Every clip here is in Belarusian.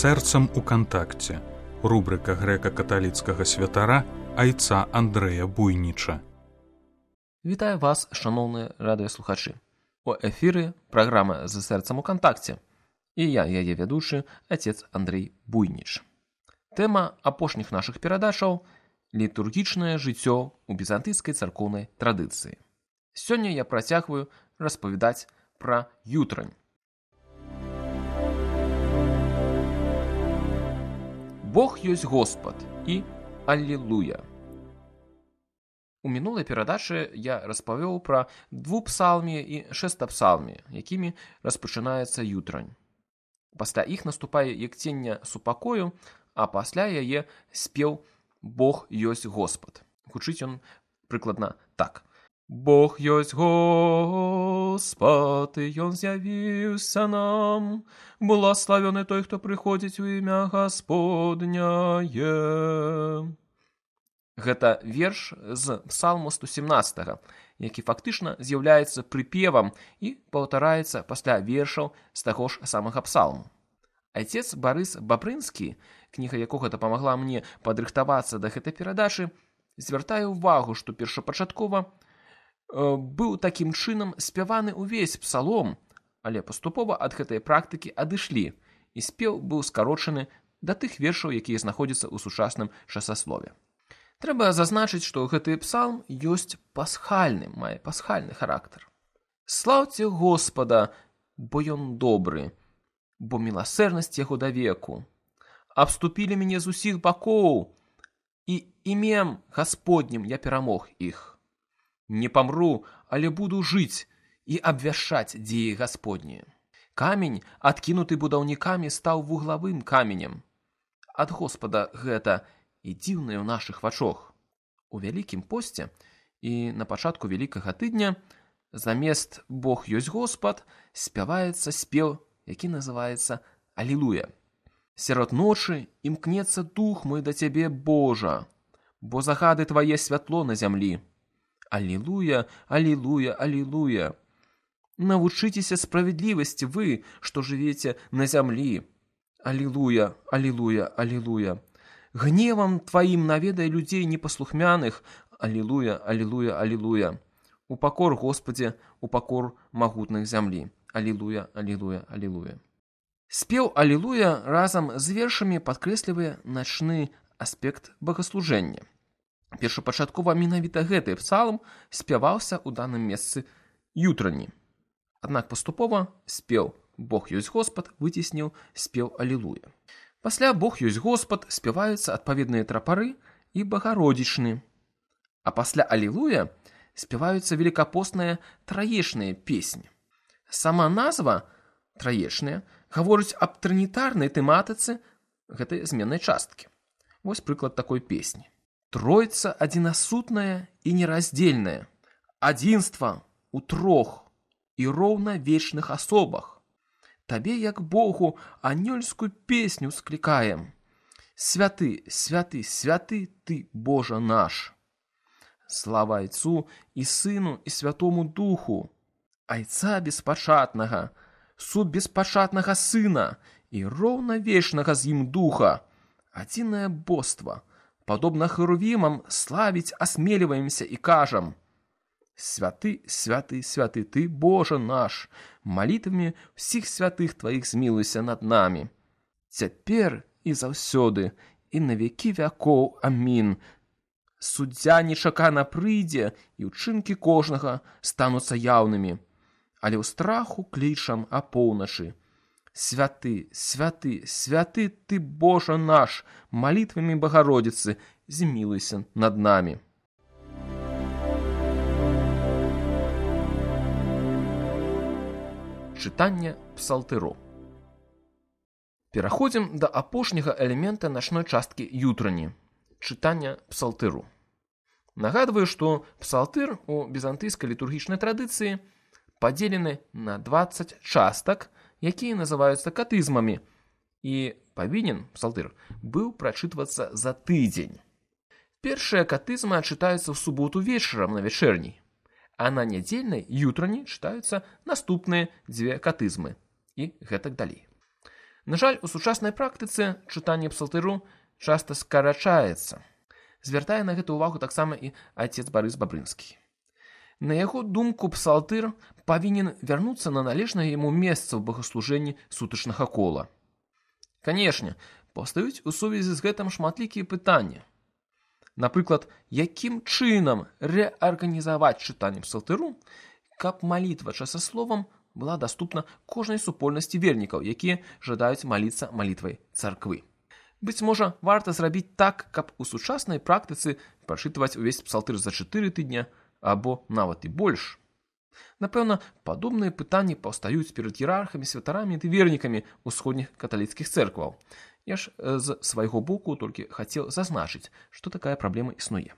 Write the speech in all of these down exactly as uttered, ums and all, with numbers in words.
сэрцам у кантакце. Рубрика грэка-каталіцкага святара айца Андрэя Буйніча. Вітаю вас, шановныя радыёслухачы. У эфіры праграма «За сэрцам у кантакце». І я, яе вядучы, отец Андрей Буйніч. Тэма апошніх нашых перадачаў – літургічнае жыццё ў візантыйскай царкоўнай традыцыі. Сёння я працягваю распавядаць пра ютрань. Бог ёсць Господ і Аллилуйя. У мінулай перадачы я распавёў пра двупсалмі і шэстапсалмі, якімі распачынаецца ютрань. Пасля іх наступае якцення супакою, а пасля яе спеў «Бог ёсць Господ». Гучыць ён прыкладна так. Бог ёсць Господ, і Ён з'явіўся нам. Благословены той, хто прыходзіць у імя Гасподняе. Гэта верш з псалму сто сямнаццатага, які фактычна з'яўляецца прыпевам і паўтараецца пасля вершаў з таго ж самага псалму. Айцец Барыс Бабрынскі, кніга якога дапамагла мне падрыхтавацца да гэтай перадачы, звяртае ўвагу, што першапачаткова быў такім чынам спяваны ўвесь псалом, але паступова ад гэтай практыкі адышлі, і спеў быў скарочаны да тых вершаў, якія знаходзяцца ў сучасным часаслове. Трэба зазначыць, што гэты псалм ёсць пасхальным, мае пасхальны характар. Слаўце Господа, бо Ён добры, бо міласэрнасць яго давеку. Абступілі мяне з усіх бакоў, і імем Гасподнім я перамог іх. Не памру, але буду жыць і абвяшчаць дзеі Гасподнія. Камень, адкінуты будаўнікамі, стаў вуглавым каменем. Ад Господа гэта і дзіўнае ў нашых вачох. У Вялікім посце і на пачатку Вялікага тыдня замест «Бог ёсць Господ» спяваецца спеў, які называецца «Аллилуйя». Сярод ночы імкнецца дух мой да Цябе, Божа, бо загады Твае святло на зямлі. Аллилуйя, аллилуйя, аллилуйя. Навучыцеся справядлівасці вы, што жывеце на зямлі. Аллилуйя, аллилуйя, аллилуйя. Гневам Тваім наведай людзей непаслухмяных. Аллилуйя, аллилуйя, аллилуйя. Упакор, Господзе, упакор магутных зямлі. Аллилуйя, аллилуйя, аллилуйя. Спеў «Аллилуйя» разам з вершамі падкрэслівае начны аспект богаслужэння. Першапачаткова менавіта гэты псалм спяваўся ў даным месцы ютрані. Аднак паступова спеў «Бог ёсць Господ» выцесніў спеў «Аллилуйя». Пасля «Бог ёсць Господ» спяваюцца адпаведныя трапары і багародзічны. А пасля «Аллилуйя» спяваюцца велікапосныя траечныя песні. Сама назва «траечныя» гаворыць аб трынітарнай тэматыцы гэтай зменнай часткі. Вось прыклад такой песні. Тройца адзінасутная і нераздзельная, адзінства ў трох і роўна вечных асобах. Табе, як Богу, анёльскую песню склікаем. Святы, святы, святы ты, Божа наш. Слава Айцу і Сыну і Святому Духу, Айца беспачатнага, суд беспачатнага Сына і роўна вечнага з ім Духа, адзінае боства. Падобна херувімам славіць асмеліваемся і кажам: Святы, святы, святы ты, Божа наш, малітвамі ўсіх святых Тваіх змілуйся над намі. Цяпер і заўсёды, і на векі вякоў. Амін. Суддзя нечакана прыйдзе, і ўчынкі кожнага стануцца яўнымі, але ў страху клічам апоўначы. Святы, святы, святы ты, Божа наш, малітвамі Багародзіцы змілуйся над намі. Чытанне псалтыру. Пераходзім да апошняга элемента начной часткі ютрані – чытання псалтыру. Нагадваю, што псалтыр у візантыйскай літургічнай традыцыі падзелены на дваццаць частак, якія называюцца катызмамі, і павінен псалтыр быў прачытвацца за тыдзень. Першая катызма чытаецца ў суботу вечарам на вячэрняй, а на нядзельнай ютрані чытаюцца наступныя дзве катызмы і гэтак далей. На жаль, у сучаснай практыцы чытанне псалтыру часта скарачаецца. Звяртае на гэту ўвагу таксама і отец Барыс Бабрынскі. На яго думку, псалтыр павінен вярнуцца на належнае яму месца ў богаслужэнні сутачнага кола. Канешне, паўстаюць у сувязі з гэтым шматлікія пытанні. Напрыклад, якім чынам рэарганізаваць чытанне псалтыру, каб малітва часасловам была даступна кожнай супольнасці вернікаў, якія жадаюць маліцца малітвай царквы. Быць можа, варта зрабіць так, каб у сучаснай практыцы прачытваць увесь псалтыр за чатыры тыдня, або нават і больш. Напэўна, падобныя пытанні паўстаюць перад іерархамі, святарамі ды вернікамі ўсходніх каталіцкіх цэркваў. Я ж з свайго боку толькі хацеў зазначыць, што такая праблема існуе.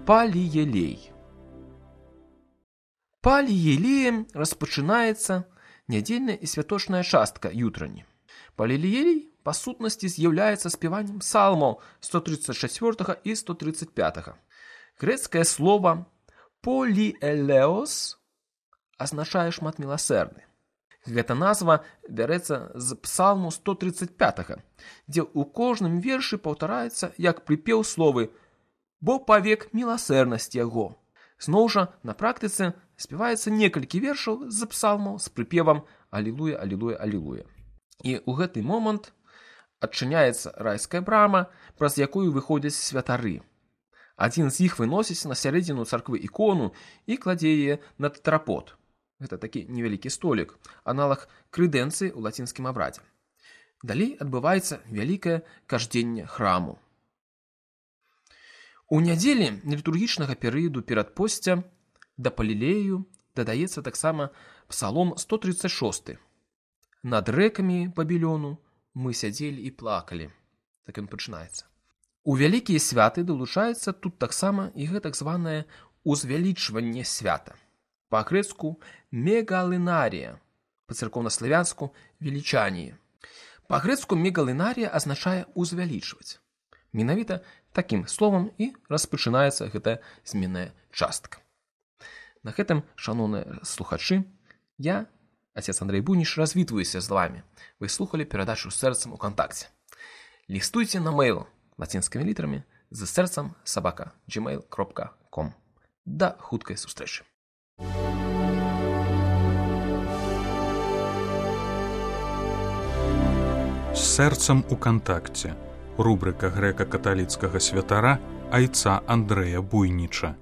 Паліелей. Паліелеем распачынаецца нядзельная і святочная частка ютрані. Паліелей па сутнасці з'яўляецца спяваннем псалмаў сто тридцать чацвёртага і сто тридцать пятага. Грэцкае слова «полиэлеос» азначае шмат міласэрны. Гэта назва бярэцца з псалму сто тридцать пятага, дзе ў кожным вершы паўтараецца як прыпеў словы «бо павек міласэрнасць яго». Зноў жа, на практыцы спяваецца некалькі вершаў з псалмаў з прыпевам «Алілуя, алілуя, алілуя». І ў гэты момант адчыняецца райская брама, праз якую выходзяць святары. Адзін з іх выносіць на сярэдзіну царквы ікону і кладзе яе на тэтрапод. Гэта такі невялікі столік, аналаг крэдэнцыі ў лацінскім абрадзе. Далей адбываецца вялікае каждзенне храму. У нядзелі літургічнага перыяду перадпосця да палілею дадаецца таксама псалом сто тридцать шосты. «Над рэкамі Бабілёну мы сядзелі і плакалі». Так ён пачынаецца. У вялікія святы далучаецца тут таксама і гэта так званае узвялічванне свята. Па-грэцку «мегалынарія», па-царкоўнаславянску «велічанне». Па-грэцку «мегалынарія» азначае «узвялічваць». Менавіта такім словам і распачынаецца гэтая зменная частка. На гэтым, шаноўныя слухачы, я, отец Андрей Буйніч, развітваюся з вами. Вы слухали перадачу з сэрцам у кантакце. Лістуйце на мейл лацінскімі літарамі з сэрцам сабака джимейл кропка ком. Да хуткай сустрэчы. З сэрцам у кантакце. Рубрика грэка-каталіцкага святара айца Андрэя Буйніча.